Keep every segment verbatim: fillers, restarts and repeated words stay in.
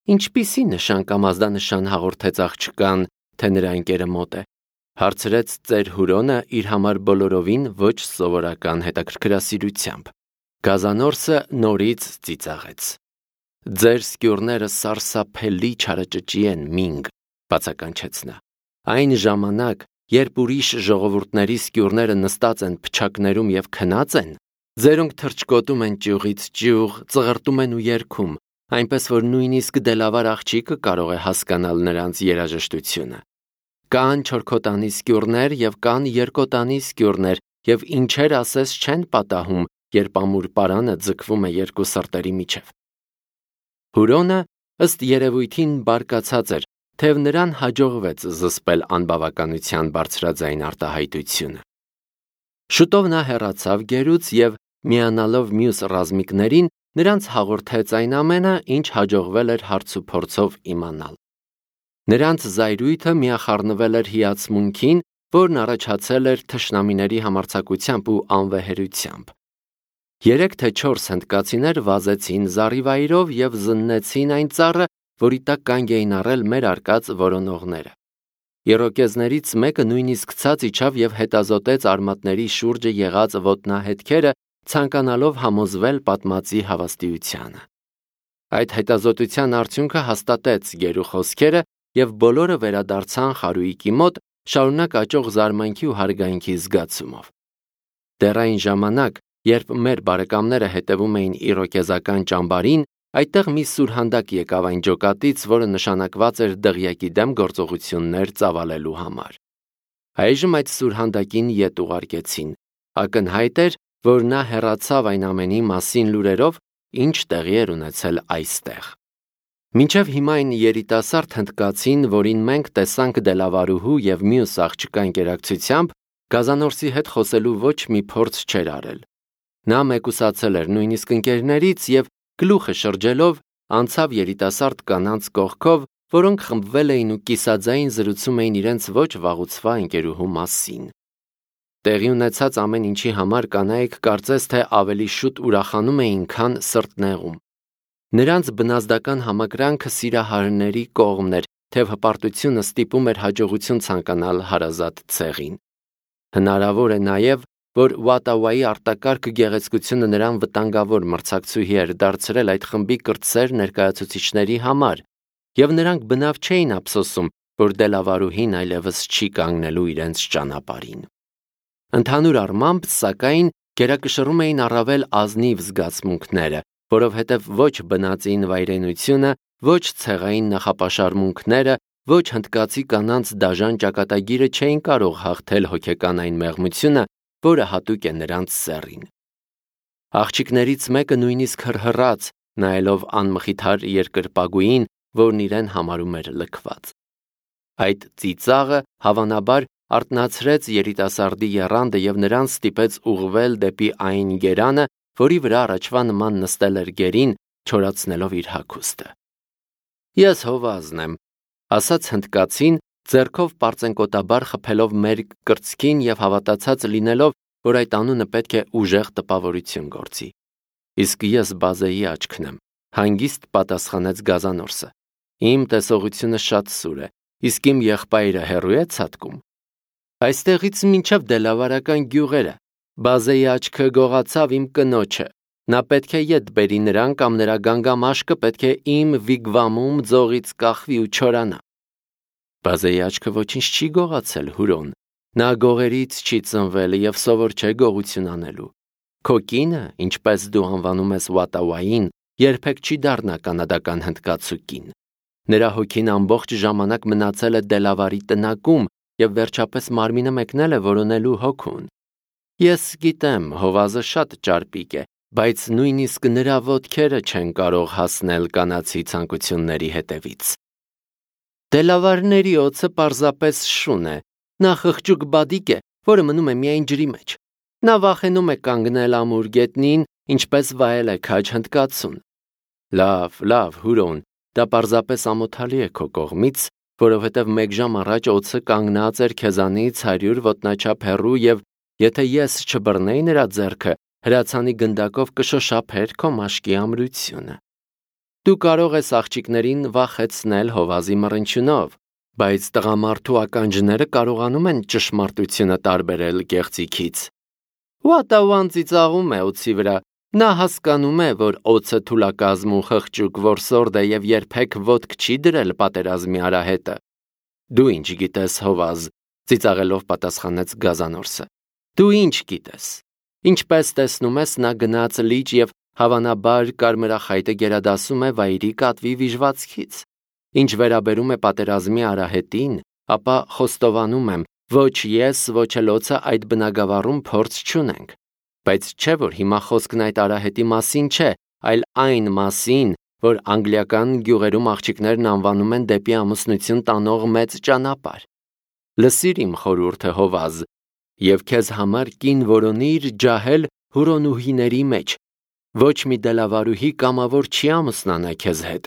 Ինչպիսի նշան կամ ազդանշան հաղորդեց աղջկան, թե նրա ընկերը մոտ է, հարցրեց ծեր Հուրոնը իր համար բոլորովին ոչ սովորական հետաքրքրասիրությամբ։ Գազանորսը նորից ծիծաղեց։ Ձեր սկյուրները սարսափելի չարաճճի են, մինգ, բացականչեց նա։ Այն ժամանակ, երբ ուրիշ ժողովուրդների սկյուրները նստած են փչակներում եւ քնած են, ձերոնք թրջկոտում են ճյուղից ճյուղ, ծղրտում են ու երգում, այնպես որ նույնիսկ դելավար աղջիկը կարող է հասկանալ նրանց երաժշտությունը։ Կան չորքոտանի սկյուրներ եւ կան երկոտանի սկյուրներ, եւ ինչեր ասես չեն պատահում, երբ ամուր պարանը ձգվում է երկու սրտերի միջև։ Հուրոնը ըստ երևույթին բարկացած էր, թեև նրան հաջողվեց զսպել անբավականության բարձրաձայն արտահայտությունը։ Շուտով նա հեռացավ գերուց եւ միանալով մյուս ռազմիկներին նրանց հաղորդեց այն ամենը, ինչ հաջողվել էր հարցուփորձով իմանալ։ Նրանց զայրույթը միախառնվել էր հիացմունքին, որն առաջացել էր թշնամիների համարձակությամբ ու անվեհերությամբ։ Երեք թե չորս հնդկացիներ վազեցին զառիվայրով եւ զննեցին այն ծառը, որի տակ կանգ էին առել մեր արկած որոնողները։ Իրոկեզներից մեկը նույնիսկ ցած իջավ եւ հետազոտեց արմատների շուրջը եղած ոտնահետքերը, ցանկանալով համոզվել պատմածի հավաստիությանը։ Այդ հետազոտության արդյունքը հաստատեց գերու խոսքերը եւ բոլորը վերադարձան խարույկի մոտ, շարունակ աճող զարմանքի ու հարգանքի զգացումով։ Դեռ այն ժամանակ, երբ մեր բարեկամները հետևում էին իրոկեզական ճամբարին, այդտեղ մի սուրհանդակ եկավ այն ջոկատից, որը նշանակված էր դղյակի դեմ գործողություններ ծավալելու համար։ Այժմ այդ սուրհանդակին ետ ուղարկեցին։ Ակնհայտ էր, որ նա հեռացավ այն ամենի մասին լուրերով, ինչ տեղի էր ունեցել այստեղ։ Մինչև հիմա այն երիտասարդ հնդկացին, որին մենք տեսանք դելավարուհու եւ մյուս աղջկա ընկերակցությամբ, Գազանորսի հետ խոսելու ոչ մի փորձ չէր արել։ Նա մեկուսացել էր նույնիսկ ընկերներից եւ գլուխը շրջելով անցավ երիտասարդ կանանց կողքով, որոնք խմբվել էին ու կիսաձայն զրուցում էին իրենց ոչ վաղուցվա ընկերուհու մասին։ Տեղի ունեցած ամեն ինչի համար կանայք կարծես թե ավելի շուտ ուրախանում էին, քան սրտնեղում։ Նրանց բնազդական համակրանքը սիրահարների կողմն էր, թեև հպարտությունը ստիպում էր հաջողություն ցանկանալ հարազատ ցեղին։ Հնարավոր է նաև, որ Ուատավայի արտակարգ գեղեցկությունը նրան վտանգավոր մրցակցուհի էր դարձրել այդ խմբի կրտսեր ներկայացուցիչների համար, եւ նրանք բնավ չէին ափսոսում, որ դելավարուհին այլևս չի կանգնելու իրենց ճանապարհին։ Ընդհանուր առմամբ, սակայն, գերակշռում էին առավել ազնիվ զգացմունքները, որովհետև ոչ բնածին վայրենությունը, ոչ ցեղային նախապաշարմունքները, ոչ հնդկացի կանանց դաժան ճակատագիրը չէին կարող հաղթել հոգեկան այն մեղմությունը, որը հատուկ է նրանց սեռին։ Աղջիկներից մեկը նույնիսկ հռհռաց, նայելով անմխիթար երկրպագուին, որն իրեն համարում էր լքված։ Այդ ծիծաղը հավանաբար արթնացրեց երիտասարդի եռանդը եւ նրան ստիպեց ուղղվել դեպի այն գերանը, որի վրա առաջվա նման նստել էր գերին, չորացնելով իր հագուստը։ Ես հովազն եմ, ասաց հնդկացին, ձեռքով պարծենկոտաբար խփելով մեր կրծքին եւ հավատացած լինելով, որ այդ անունը պետք է ուժեղ տպավորություն գործի։ Իսկ ես Բազեի աչքն եմ, հանգիստ պատասխանեց Գազանորսը։ Իմ տեսողությունը շատ սուր է, իսկ իմ եղբայրը հեռու է ցատկում։ Այստեղից մինչև դելավարական գյուղերը, Բազեի աչքը գողացավ իմ կնոջը, նա պետք է ետ բերի նրան կամ նրա գանգամաշկը պետք է իմ վիգվամում ձողից կախվի ու չորանա։ Բազեի աչքը ոչինչ չի գողացել, Հուրոն, նա գողերից չի ծնվել եւ սովոր չէ գողություն անելու։ Քո կինը, ինչպես դու անվանում ես Ուատավային, երբեք չի դառնա կանադական հնդկացու կին։ Նրա հոգին ամբողջ ժամանակ մնացել է դելավարի տնակում եւ վերջապես մարմինը մեկնել է որոնելու հոգուն։ Ես գիտեմ, հովազը շատ ճարպիկ է, բայց նույնիսկ նրա ոտքերը չեն կարող հասնել կանացի ցանկությունների հետևից։ Դելավարների օձը պարզապես շուն է, նա խղճուկ բադիկ է, որը մնում է միայն ջրի մեջ։ Նա վախենում է կանգնել ամուր գետնին, ինչպես վայել է քաջ հնդկացուն։ Լավ, լավ, Հուրոն, դա պարզապես ամոթալի է քո կողմից, որովհետև մեկ ժամ առաջ օձը կանգնած էր քեզանից հարյուր ոտնաչափ հեռու եւ եթե ես չբռնեի նրա ձեռքը, հրացանի գնդակով կշոշափեր քո մաշկի ամրությունը։ Դու կարող ես աղջիկներին վախեցնել Հովազի մռնչյունով, բայց տղամարդու ականջները կարողանում են ճշմարտությունը տարբերել կեղծիքից։ Ուատաուան ծիծաղում է օձի վրա, նա հասկանում է, որ օձը թուլակազմ ու խղճուկ որսորդ է և երբեք ոտք չի դրել պատերազմի արահետը։ Դու ինչ գիտես, Հովազ, ծիծաղելով պատասխանեց Գազանորսը։ Դու ինչ գիտես։ Ինչպես տեսնում ես, նա գնաց լիճ և հավանաբար կարմրախայտը գերադասում է վայրի կատվի վիժվածքից։ Ինչ վերաբերում է պատերազմի արահետին, ապա խոստովանում եմ, ոչ ես, ոչ էլ օձը այդ բնագավառում փորձ չունենք, բայց չէ որ հիմա խոսքն այդ արահետի մասին չէ, այլ այն մասին, որ անգլիական գյուղերում աղջիկներն անվանում են դեպի ամուսնություն տանող մեծ ճանապարհ։ Լսիր իմ խորհուրդը, Հովազ, և քեզ համար կին որոնիր ջահել Հուրոնուհիների մեջ, ոչ մի դելավարուհի կամավոր չի ամուսնանա քեզ հետ։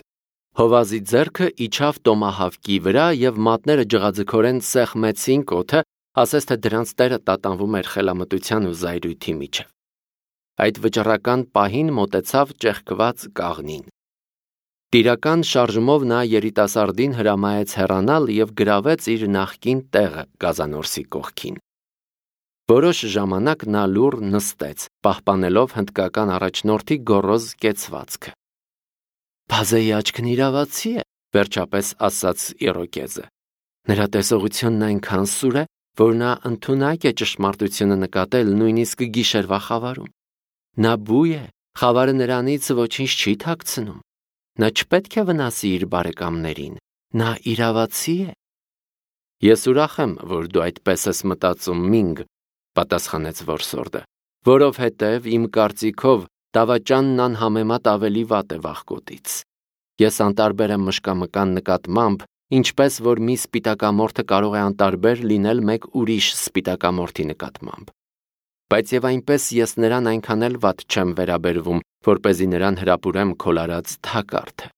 Հովազի ձեռքը իջավ տոմահավկի վրա և մատները ջղաձգորեն սեղմեցին կոթը, ասես թե դրանց տերը տատանվում էր խելամտության ու զայրույթի միջև։ Այդ վճռական պահին մոտեցավ ճեղքված կաղնին։ Տիրական շարժումով նա երիտասարդին հրամայեց հեռանալ և գրավեց իր նախկին տեղը Գազանորսի կողքին։ Որոշ ժամանակ նա լուռ նստեց, պահպանելով հնդկական առաջնորդի գոռոզ կեցվածքը։ Բազեի աչքն իրավացի է, վերջապես ասաց Իրոկեզը։ Նրա տեսողությունն այնքան սուր է, որ նա ընդունակ է ճշմարտությունը նկատել նույնիսկ գիշերվա խավարում։ Նա բույ է, խավարը նրանից ոչինչ չի թաքցնում։ Նա չպետք է վնասի իր բարեկամներին, նա իրավացի է։ Ես ուրախ եմ, որ դու այդպես ես մտածում, Մինգ, պատասխանեց որսորդը, որովհետև իմ կարծիքով դավաճանն անհամեմատ ավելի վատ է վախկոտից։ Ես անտարբեր եմ մշկամկան նկատմամբ, ինչպես որ մի սպիտակամորթը կարող է անտարբեր լինել մեկ ուրիշ սպիտակամորթի նկատմամբ։ Բայց եւ այնպես ես նրան այնքան էլ վատ չեմ վերաբերվում, որպեսզի նրան հրապուրեմ քոլարած թակարդը։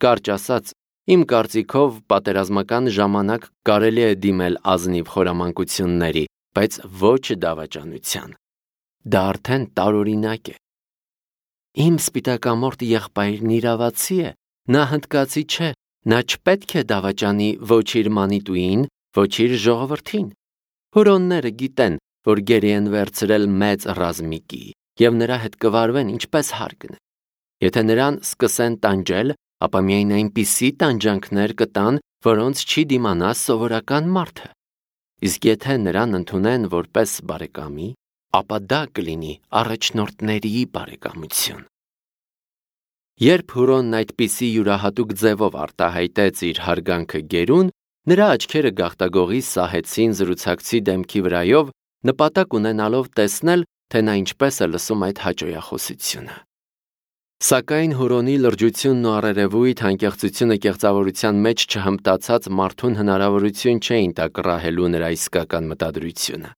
Կարճ ասած, իմ կարծիքով պատերազմական ժամանակ կարելի է դիմել ազնիվ խորամանկությունների, բայց ոչ դավաճանության։ Դա արդեն տարօրինակ է։ Իմ սպիտակամորթ եղբայրն իրավացի է, նա հնդկացի չէ, նա չպետք է դավաճանի ոչ իր մանիտուին, ոչ իր ժողովրդին։ Հուրոնները գիտեն, որ գերի են վերցրել մեծ ռազմիկի և նրա հետ կվարվեն ինչպես հարկն է։ Եթե նրան սկսեն տանջել, ապա միայն այնպիսի տանջանքներ կտան, որոնց չի դիմանա սովորական մարդը։ Իսկ եթե նրան ընդունեն որպես բարեկամի, ապա դա կլինի առաջնորդների բարեկամություն։ Երբ Հուրոնն այդպիսի յուրահատուկ ձևով արտահայտեց իր հարգանքը գերուն, նրա աչքերը գաղտագողի սահեցին զրուցակցի դեմքի վրայով, նպատակ ունենալով տեսնել, թե նա ինչպես է լսում այդ հաճոյախոսությունը։ Սակայն Հուրոնի լրջությունն ու առերևույթ անկեղծությունը կեղծավորության մեջ չհմտացած մարդուն հնարավորություն չէին տա կռահելու նրա իսկական մտադրությունը։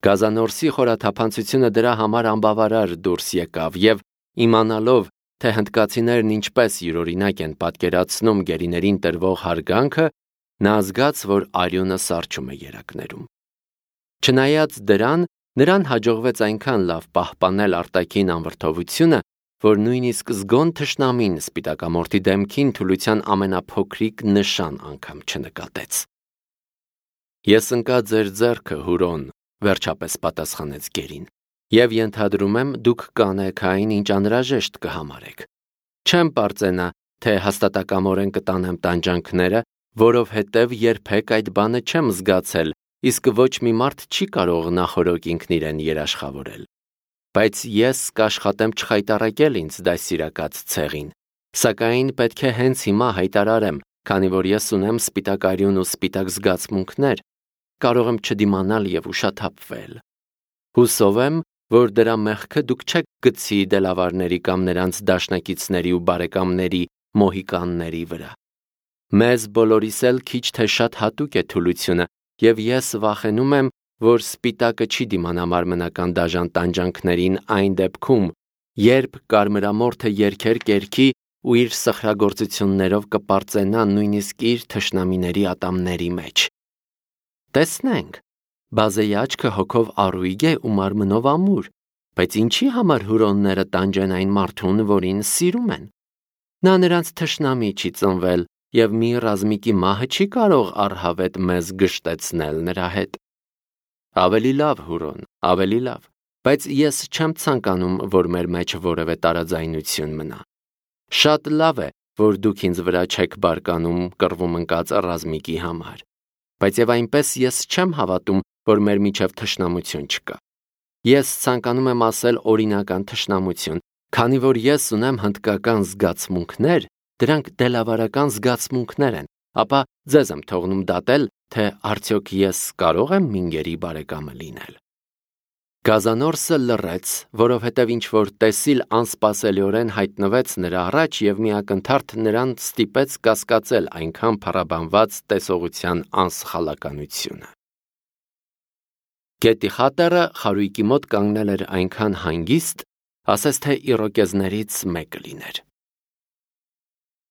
Գազանորսի խորաթափանցությունը դրա համար անբավարար դուրս եկավ և իմանալով, թե հնդկացիներն ինչպես յուրօրինակ են պատկերացնում գերիներին տրվող հարգանքը, նա զգաց, որ արյունը սառչում է երակներում։ Չնայած դրան, նրան հաջողվեց այնքան լավ պահպանել արտաքին անվրդովությունը, որ նույնիսկ զգոն թշնամին սպիտակամորթի դեմքին թուլության ամենափոքրիկ նշան անգամ չնկատեց։ Ես ընկա ձեր ձեռքը, Հուրոն, վերջապես պատասխանեց գերին, և ենթադրում եմ դուք կանեք այն, ինչ անհրաժեշտ կհամարեք։ Չեմ պարծենա, թե հաստատակամորեն կտանեմ տանջանքները, որովհետև երբեք այդ բանը չեմ զգացել, իսկ ոչ մի մարդ չի կարող նախօրոք ինքն իրեն երաշխավորել։ Բայց ես կաշխատեմ չխայտառակել ինձ դաստիարակած ցեղին, սակայն պետք է հենց հիմա հայտարարեմ, քանի որ ես ունեմ սպիտակ արյուն ու սպիտակ զգացմունքներ, կարող եմ չդիմանալ և ուշաթափվել։ Հուսով եմ, որ դրա մեղքը դուք չեք գցի դելավարների կամ նրանց դաշնակիցների ու բարեկամների մոհիկանների վրա։ Մեզ բոլորիս էլ քիչ թե շատ հատուկ է թուլությունը, և ես վախենում եմ, որ սպիտակը չի դիմանա մարմնական դաժան տանջանքներին այն դեպքում, երբ կարմրամորթը երգեր կերքի ու իր սխրագործություններով կպարծենա նույնիսկ իր թշնամիների ատամների մեջ։ Տեսնենք, Բազեի աչքը հոգով առույգ է ու մարմնով ամուր, բայց ինչի համար հուրոնները տանջեն այն մարդուն, որին սիրում են։ Նա նրանց թշնամի չի ծնվել, և մի ռազմիկի մահը չի կարող առհավետ մեզ գժտեցնել նրա հետ։ Ավելի լավ, Հուրոն, ավելի լավ, բայց ես չեմ ցանկանում, որ մեր մեջ որևէ տարաձայնություն մնա։ Շատ լավ է, որ դուք ինձ վրա չեք բարկանում կռվում ընկած ռազմիկի համար, բայց եւ այնպես ես չեմ հավատում, որ մեր միջև թշնամություն չկա։ Ես ցանկանում եմ ասել օրինական թշնամություն, քանի որ ես ունեմ հնդկական զգացմունքներ, դրանք դելավարական զգացմունքներ են, ապա ձեզ եմ թողնում դատել, թե արդյոք ես կարող եմ Մինգերի բարեկամը լինել։ Գազանորսը լռեց, որովհետև ինչ-որ տեսիլ անսպասելիորեն հայտնվեց նրա առաջ և մի ակնթարթ նրան ստիպեց կասկածել այնքան փառաբանված տեսողության անսխալականությունը։ Գետի խատերը խարույկի մոտ կանգնել էր այնքան հանգիստ, ասես թե իրոկեզներից մեկը լիներ։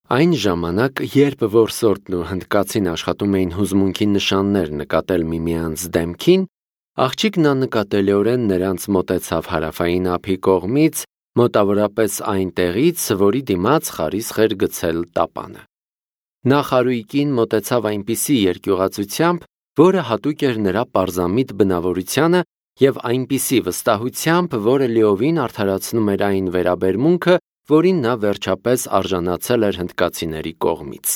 Այն ժամանակ, երբ որսորդն ու հնդկացին աշխատում էին հուզմունքի նշաններ նկատել միմյանց դեմքին, աղջիկն աննկատելիորեն նրանց մոտեցավ հարավային ափի կողմից, մոտավորապես այն տեղից, որի դիմաց խարիսխ էր գցել տապանը։ Նա խարույկին մոտեցավ այնպիսի երկյուղացությամբ, որը հատուկ էր նրա պարզամիտ բնավորությանը և այնպիսի վստահությամբ, որը լիովին արդարացնում էր այն վերաբերմունքը, որին նա վերջապես արժանացել էր հնդկացիների կողմից։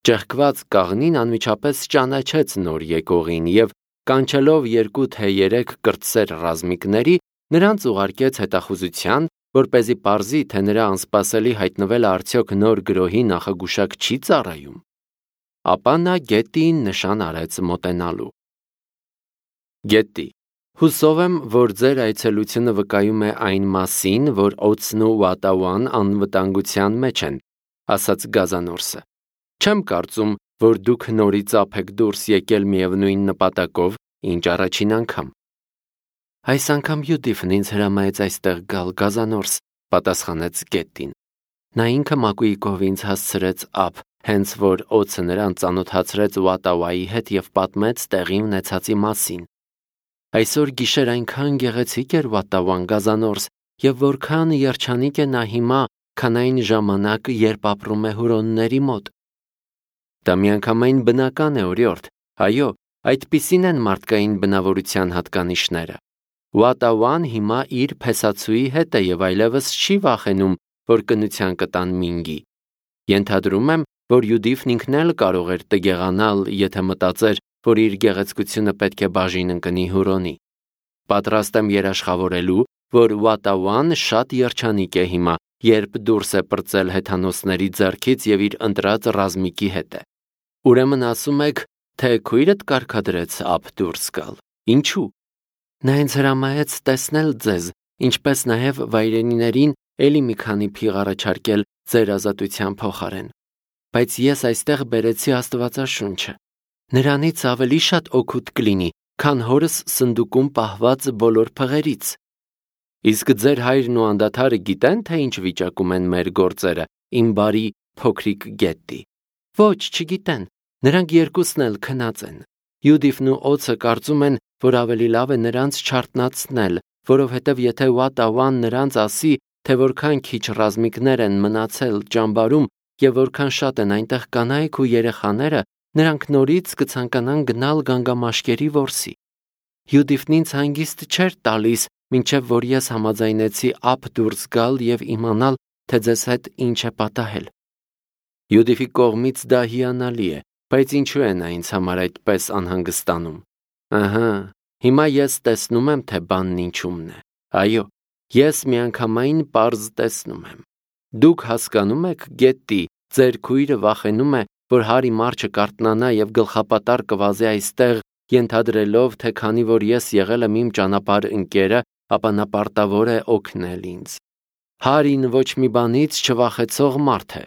Ճեղքված կաղնին անմիջապես ճանաչեց նոր եկողին և, կանչելով երկու թե երեք կրտսեր ռազմիկների, նրանց ուղարկեց հետախուզության, որպեսզի պարզի, թե նրա անսպասելի հայտնվելը արդյոք նոր գրոհի նախագուշակ չի ծառայում։ Ապա նա գետին նշան արեց մոտենալու։ Գետի, հուսով եմ, որ ձեր այցելությունը վկայում է այն մասին, որ օձն ու Վատավան անվտանգության մեջ են, ասաց Գազանորսը։ Չեմ կարծում, որ դուք նորից ափ եք դուրս եկել միևնույն նպատակով, ինչ առաջին անգամ։ Այս անգամ Յուդիֆն ինձ հրամայեց այստեղ գալ, Գազանորս, պատասխանեց Գետին։ Նա ինքը մակույկով ինձ հասցրեց ափ, հենց որ օձը նրան ծանոթացրեց Վատավայի հետ և պատմեց տեղի ունեցածի մասին։ Այսօր գիշեր այնքան գեղեցիկ էր Վատավան, Գազանորս, և որքան երջանիկ է նա հիմա, քան այն ժամանակ, երբ ապրում է հուրոնների մոտ։ Դա միանգամայն բնական է, օրիորդ, այո, այդպիսին են մարդկային բնավորության հատկանիշները։ Վատավան հիմա իր փեսացուի հետ է և այլևս չի վախենում, որ կնության կտան Մինգի։ Ենթադրում եմ, որ Յուդիֆն ինքն էլ կարող էր տգեղանալ, եթե մտածեր, որ իր գեղեցկությունը պետք է բաժին ընկնի Հուրոնի։ Պատրաստ եմ երաշխավորելու, որ Վատավան շատ երջանիկ է հիմա, երբ դուրս է պրծել հեթանոսների ձեռքից և իր ընտրած ռազմիկի հետ է։ Ուրեմն ասում եք, թե քույրդ կարգադրեց ափ դուրս գալ։ Ինչու՞։ Նա ինձ հրամայեց տեսնել ձեզ, ինչպես նաև վայրենիներին էլի մի քանի փիղ առաջարկել ձեր ազատության փոխարեն։ Բայց ես այստեղ բերեցի Աստվածաշունչը։ Նրանից ավելի շատ օգուտ կլինի, քան հորս սնդուկում պահված բոլոր փղերից։ Իսկ ձեր հայրն ու անդադարը գիտեն, թե ինչ վիճակում են մեր գործերը, իմ բարի փոքրիկ Գետի։ Ոչ, չգիտեն, նրանք երկուսն էլ քնած են։ Յուդիֆն ու օձը կարծում են, որ ավելի լավ է նրանց չարթնացնել, որովհետև եթե Վատավան նրանց ասի, թե որքան քիչ ռազմիկներ են մնացել ճամբարում և որքան շատ են այնտեղ կանայք ու երեխաները, նրանք նորից կցանկանան գնալ գանգամաշկերի որսի։ Յուդիֆն ինձ հանգիստ չէր տալիս, մինչև որ ես համաձայնեցի ափ դուրս գալ և իմանալ, թե ձեզ հետ ինչ է պատահել։ Յուդիֆի կողմից դա հիանալի է, բայց ինչու է նա ինձ համար այդպես անհանգստանում։ Ահա, հիմա ես տեսնում եմ, թե բանն ինչումն է։ Այո, ես միանգամայն պարզ տեսնում եմ։ Դուք հասկանում եք, Գետի, ձեր քույրը վախենում է, որ Հարի Մարչը կարթնանա և գլխապատառ կվազի այստեղ, ենթադրելով, թե քանի որ ես եղել եմ իմ ճանապարհ ընկերը, ապա նա պարտավոր է օգնել ինձ։ Հարին ոչ մի բանից չվախեցող մարդ է։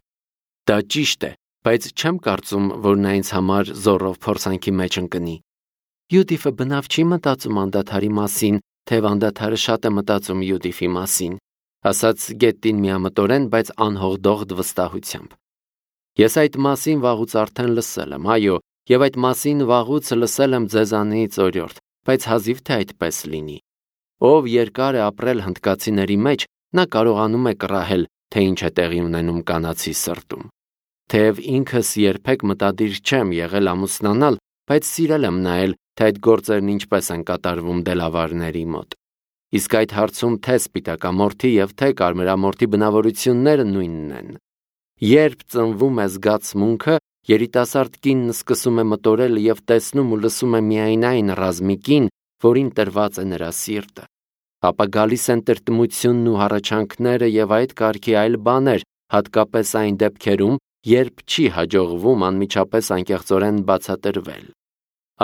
Դա ճիշտ է, բայց չեմ կարծում, որ նա ինձ համար զոռով փորձանքի մեջ ընկնի։ Յուդիֆը բնավ չի մտածում անդադարի մասին, թեև անդադարը շատ է մտածում Յուդիֆի մասին, ասաց Գետին միամտորեն, բայց անհողդողդ վստահությամբ։ Ես այդ մասին վաղուց արդեն լսել եմ, այո, և այդ մասին վաղուց լսել եմ ձեզանից, օրիորդ, բայց հազիվ թե այդպես լինի։ Ով երկար է ապրել հնդկացիների մեջ, նա կարողանում է կռահել, թե ինչ է տեղի ունենում կանացի սրտում։ Թեև ինքս երբեք մտադիր չեմ եղել ամուսնանալ, բայց սիրել եմ նայել, թե այդ գործերն ինչպես են կատարվում դելավարների մոտ։ Իսկ այդ հարցում թե սպիտակամորթի և թե կարմրամորթի բնավորությունները նույնն են։ Երբ ծնվում է զգացմունքը, երիտասարդ կինն սկսում է մտորել և տեսնում ու լսում է միայն այն ռազմիկին, որին տրված է նրա սիրտը։ Ապա գալիս են տրտմությունն ու հառաչանքները և այդ կարգի այլ բաներ, հատկապես այն դեպքերում, երբ չի հաջողվում անմիջապես անկեղծորեն բացատրվել։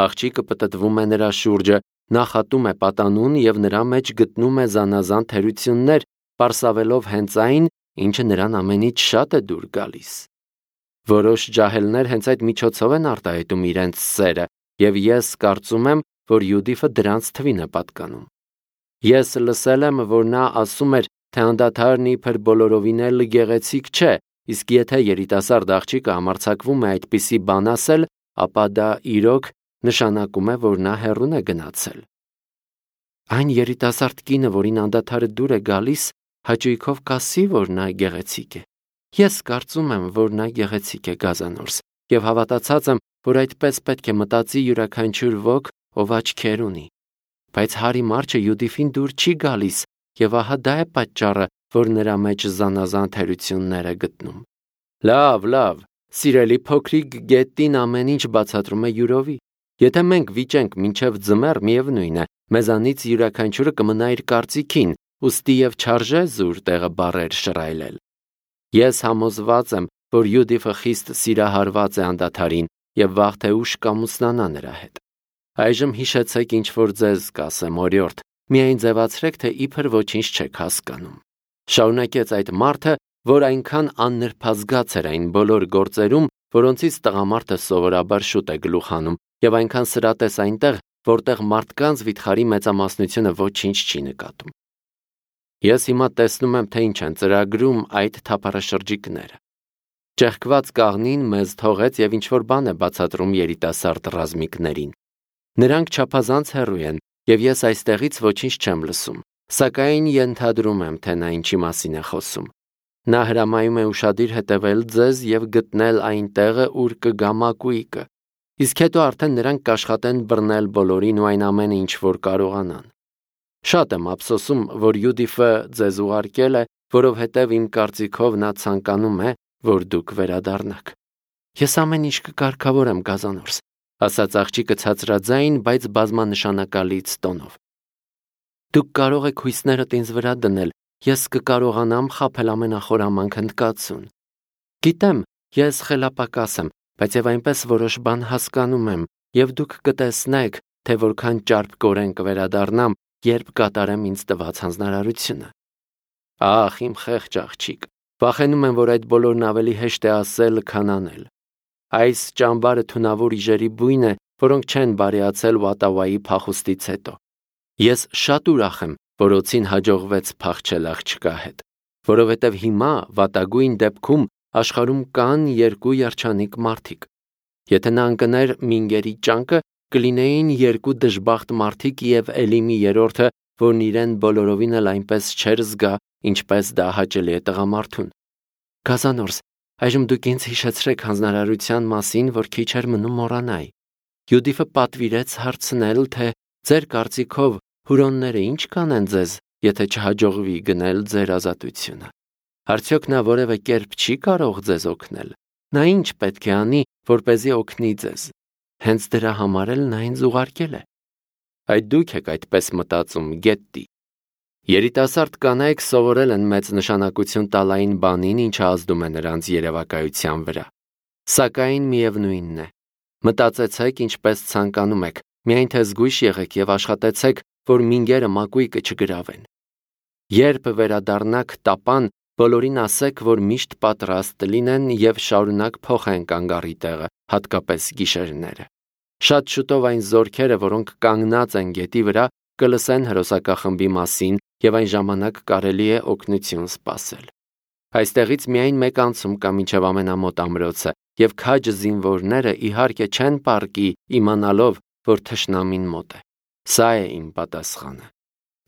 Աղջիկը պտտվում է նրա շուրջը, նախատում է պատանուն և նրա մեջ գտնում է զանազան թերություններ, պարսավելով հենց այն, ինչը նրան ամենից շատ է դուր գալիս։ Որոշ ջահելներ հենց այդ միջոցով են արտահայտում իրենց սերը, և ես կարծում եմ, որ Յուդիֆը դրանց թվին է պատկանում։ Ես լսել եմ, որ նա ասում էր, թե անդադարն իբր բոլորովին էլ գեղեցիկ չէ, իսկ եթե երիտասարդ աղջիկը համարձակվում է այդպիսի բան ասել, ապա դա իրոք նշանակում է, որ նա հեռուն է գնացել։ Այն երիտասարդ կինը, որին անդադարը դուր է գալիս, հաճույքով կասի, որ նա գեղեցիկ է։ Ես կարծում եմ, որ նա գեղեցիկ է, Գազանորս, և հավատացած եմ, որ այդպես պետք է մտածի յուրաքանչյուր ոք, ով աչքեր ունի։ Բայց Հարի Մարչը Յուդիֆին դուր չի գալիս, և ահա դա է պատճառը, որ նրա մեջ զանազան թերություններ է գտնում։ Լավ, լավ, սիրելի փոքրիկ գետին ամեն ինչ բացատրում է յուրովի։ Եթե մենք վիճենք մինչև ձմեռ, միևնույն է, մեզանից յուրաքանչյուրը կմնա իր կարծիքին, ուստի և չարժե զուր տեղը բառեր շռայլել։ Ես համոզված եմ, որ Յուդիֆը խիստ սիրահարված է անդադարին և վաղ թե ուշ կամուսնանա նրա հետ։ Այժմ հիշեցեք, ինչ որ ձեզ կասեմ, օրիորդ, միայն ձևացրեք, թե իբր ոչինչ չեք հասկանում։ Շարունակեց այդ մարդը, որ այնքան աննրբազգաց էր այն բոլոր գործերում, որոնցից տղամարդը սովորաբար շուտ է գլուխ հանում, և այնքան սրատես այնտեղ, որտեղ մարդկանց վիթխարի մեծամասնությունը ոչինչ չի նկատում։ Ես հիմա տեսնում եմ, թե ինչ են ծրագրում այդ թափառաշրջիկները։ Ճեղքված կաղնին մեզ թողեց և ինչ-որ բան է բացատրում երիտասարդ ռազմիկներին։ Նրանք չափազանց հեռու են, և ես այստեղից ոչինչ չեմ լսում, սակայն ենթադրում եմ, թե նա ինչի մասին է խոսում։ Նա հրամայում է ուշադիր հետևել ձեզ և գտնել այն տեղը, ուր կգա մակույկը, իսկ հետո արդեն նրանք կաշխատեն բռնել բոլորին ու այն ամենը, ինչ որ կարողանան։ Շատ եմ ափսոսում, որ Յուդիֆը ձեզ ուղարկել է, որովհետև իմ կարծիքով նա ցանկանում է, որ դուք վերադառնաք։ Ես ամեն ինչ կկարգավորեմ, Գազանորս, ասաց աղջիկը ցածրաձայն, բայց բազմանշանակալից տոնով։ Դուք կարող եք հույսներդ ինձ վրա դնել, ես կկարողանամ խաբել ամենախորամանկ հնդկացուն։ Գիտեմ, ես խելապակաս եմ, բայց եւ այնպես որոշ բան հասկանում եմ, եւ դուք կտեսնեք, թե որքան ճարպկորեն կվերադառնամ, երբ կատարեմ ինձ տված հանձնարարությունը։ Ախ, իմ խեղճ աղջիկ, վախենում եմ, որ այդ բոլորն ավելի հեշտ է ասել, քան անել։ Այս ճամբարը թունավոր իժերի բույն է, որոնք չեն բարեացել Ուատավայի փախուստից հետո։ Ես շատ ուրախ եմ, որ Օցին հաջողվեց փախչել աղջկա հետ, որովհետև հիմա վատագույն դեպքում աշխարհում կան երկու երջանիկ մարդիկ։ Եթե նա ընկներ Մինգերի ճանկը, կլինեին երկու դժբախտ մարդիկ և Էլիմի երրորդը, որն իրեն բոլորովին էլ այնպես չէր զգա, ինչպես դա հաճելի է տղամարդուն։ Գազանորս, այժմ դուք ինձ հիշեցրեք հանձնարարության մասին, որ քիչ էր մնում մոռանայի։ Յուդիֆը պատվիրեց հարցնել, թե ձեր կարծիքով հուրոնները ինչ կանեն ձեզ, եթե չհաջողվի գնել ձեր ազատությունը։ Արդյոք նա որևէ կերպ չի կարող ձեզ օգնել։ Նա ինչ պետք է անի, որպեսզի օգնի ձեզ։ Հենց դրա համար էլ նա ինձ ուղարկել է։ Այդ դուք եք այդպես մտածում, Գետտի։ Երիտասարդ կանայք սովորել են մեծ նշանակություն տալ այն բանին, ինչը ազդում է նրանց երևակայության վրա։ Սակայն միևնույնն է։ Մտածեցեք, ինչպես ցանկանում եք, միայն թե զգույշ եղեք եւ աշխատեցեք, որ մինգերը մակույկը չգրավեն։ Երբ վերադառնաք տապան, բոլորին ասեք, որ միշտ պատրաստ լինեն եւ շարունակ փոխեն կանգառի տեղը, հատկապես գիշերները։ Շատ շուտով այն զորքերը, որոնք կանգնած են գետի վրա, կլսեն հրոսակախմբի մասին եւ այն ժամանակ կարելի է օգնություն սպասել։ Այստեղից միայն մեկ անցում կա մինչև ամենամոտ ամրոցը, եւ քաջ զինվորները իհարկե չեն պառկի իմանալով, որ թշնամին մոտ է։ Սա է իմ պատասխանը։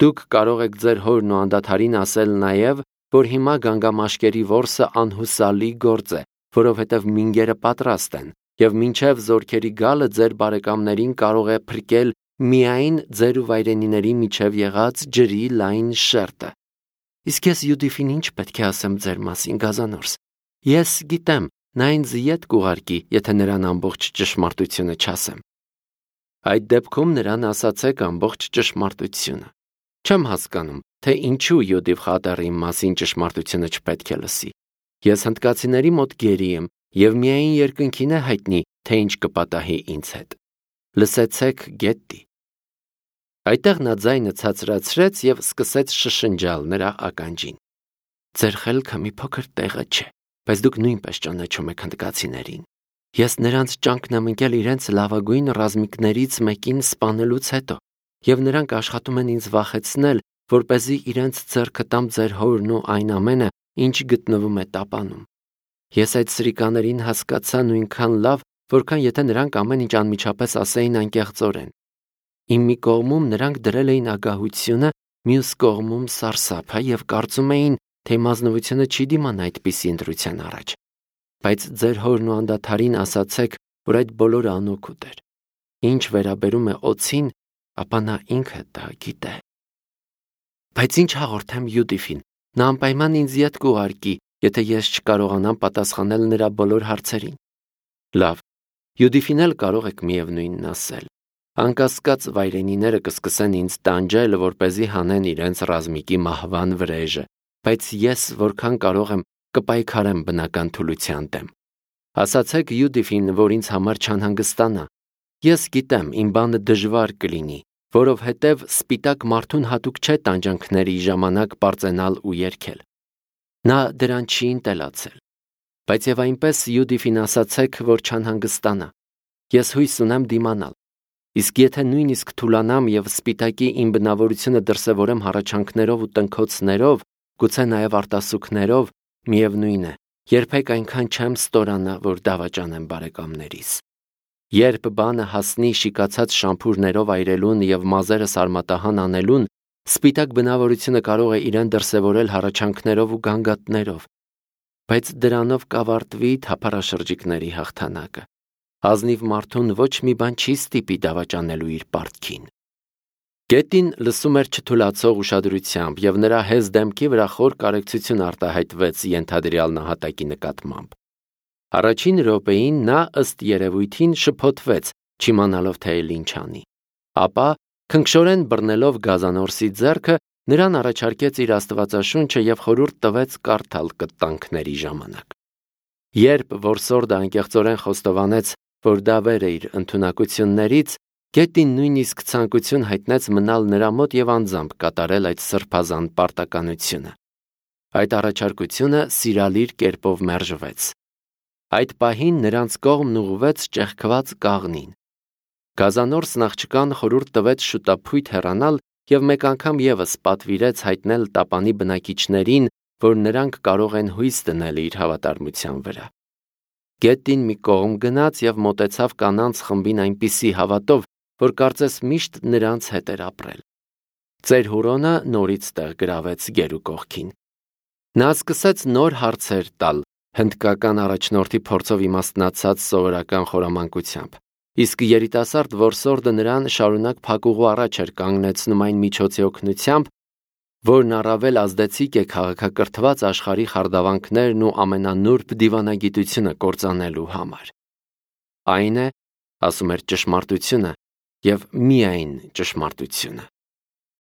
Դուք կարող եք ձեր հորն ու անդադարին ասել նաեւ, որ հիմա գանգամաշկերի որսը անհուսալի գործ է, որովհետև մինգերը պատրաստ են, եւ մինչև զորքերի գալը ձեր բարեկամներին կարող է փրկել միայն ձեր ու վայրենիների միջև եղած ջրի լայն շերտը։ Իսկ ես Յուդիֆին ինչ պետք է ասեմ ձեր մասին, Գազանորս։ Ես գիտեմ, նա ինձ ետ կուղարկի, եթե նրան ամբողջ ճշմարտությունը չասեմ։ Այդ դեպքում նրան ասացեք ամբողջ ճշմարտությունը։ Չեմ հասկանում, թե ինչու Յուդիֆ խատերի մասին ճշմարտությունը չպետք է լսի։ Ես հնդկացիների մոտ գերի եմ, եւ միայն երկնքին է հայտնի, թե ինչ կպատահի ինձ հետ։ Լսեցեք Գետտի։ Այդտեղ նա ձայնը ցածրացրեց եւ սկսեց շշնջալ նրա ականջին։ Ձեր խելքը մի փոքր տեղը չէ, բայց դուք նույնպես ճանաչում եք հնդկացիներին։ Ես նրանց ճանկն եմ ընկել իրենց լավագույն ռազմիկներից մեկին սպանելուց հետո, եւ նրանք աշխատում են ինձ վախեցնել, որպեսզի իրենց ձեռքը տամ ձեր հորն ու այն ամենը, ինչ գտնվում է տապանում։ Ես այդ սրիկաներին հասկացա նույնքան լավ, որքան եթե նրանք ամեն ինչ անմիջապես ասեին անկեղծորեն։ Իմ մի կողմում նրանք դրել էին ագահությունը, մյուս կողմում սարսափը եւ կարծում էին, թե մազնվությունը չի դիմանա այդպիսի ընտրության առաջ։ Բայց ձեր հորն ու անդադարին ասացեք, որ այդ բոլորը անօգուտ էր։ Ինչ վերաբերում է օձին, ապա նա ինքը դա գիտե։ Բայց ինչ հաղորդեմ Յուդիֆին, նա անպայման ինձ ետ կուղարկի, եթե ես չկարողանամ պատասխանել նրա բոլոր հարցերին։ Լավ, Յուդիֆին էլ կարող եք միևնույնն ասել։ Անկասկած վայրենիները կսկսեն ինձ տանջել, որպեսզի հանեն իրենց ռազմիկի մահվան վրեժը, բայց ես որքան կարող եմ կպայքարեմ բնական թուլության դեմ։ Ասացեք Յուդիֆին, որ ինձ համար չանհանգստանա։ Ես գիտեմ, իմ բանը դժվար կլինի, որովհետև սպիտակ մարդուն հատուկ չէ տանջանքների ժամանակ պարծենալ ու երգել։ Նա դրան չի ընտելացել։ Բայց եւ այնպես Յուդիֆին ասացեք, որ չանհանգստանա։ Ես հույս ունեմ դիմանալ։ Իսկ եթե նույնիսկ թուլանամ եւ սպիտակի իմ բնավորությունը դրսևորեմ հառաչանքներով ու տնքոցներով, գուցե նաեւ արտասուքներով, միևնույն է, երբեք այնքան չեմ ստորանա, որ դավաճանեմ բարեկամներիս։ Երբ բանը հասնի շիկացած շամփուրներով այրելուն եւ մազերը սարմատահան անելուն, սպիտակ բնավորությունը կարող է իրեն դրսևորել հառաչանքներով ու գանգատներով, բայց դրանով կավարտվի թափառաշրջիկների հաղթանակը։ Ազնիվ մարդուն ոչ մի բան չի ստիպի դավաճանելու իր պարտքին։ Գետին լսում էր չթուլացող ուշադրությամբ, եւ նրա հեզ դեմքի վրա խոր կարեկցություն արտահայտվեց ենթադրյալ նահատակի նկատմամբ։ Առաջին րոպեին նա ըստ երևույթին շփոթվեց, չիմանալով թե էլ ինչ անի։ Ապա, քնքշորեն բռնելով Գազանորսի ձեռքը, նրան առաջարկեց իր աստվածաշունչը եւ խորհուրդ տվեց կարդալ կտանքների ժամանակ։ Երբ որսորդը անկեղծորեն խոստովանեց, որ դա վեր է իր ընդունակություններից, Գետին նույնիսկ ցանկություն հայտնեց մնալ նրա մոտ եւ անձամբ կատարել այդ սրբազան պարտականությունը։ Այդ առաջարկությունը սիրալիր կերպով մերժվեց։ Այդ պահին նրանց կողմն ուղղվեց ճեղքված կաղնին։ Գազանորսն աղջկան խորհուրդ տվեց շուտափույթ հեռանալ եւ մեկ անգամ եւս պատվիրեց հայտնել տապանի բնակիչներին, որ նրանք կարող են հույս դնել իր հավատարմության վրա։ Գետին մի կողմ գնաց եւ մոտեցավ կանանց խմբին այնպիսի հավատով, որ կարծես միշտ նրանց հետ էր ապրել։ Ծեր Հուրոնը նորից տեղ գրավեց գերու կողքին։ Նա սկսեց նոր հարցեր տալ, հնդկական առաջնորդի փորձով իմաստնացած սովորական խորամանկությամբ, իսկ երիտասարդ որսորդը նրան շարունակ փակուղու առաջ էր կանգնեցնում այն միջոցի օգնությամբ, որն առավել ազդեցիկ է քաղաքակրթված աշխարհի խարդավանքներն ու ամենանուրբ դիվանագիտությունը կործանելու համար։ Այն է, ասում էր ճշմարտությունը, եւ միայն ճշմարտությունը։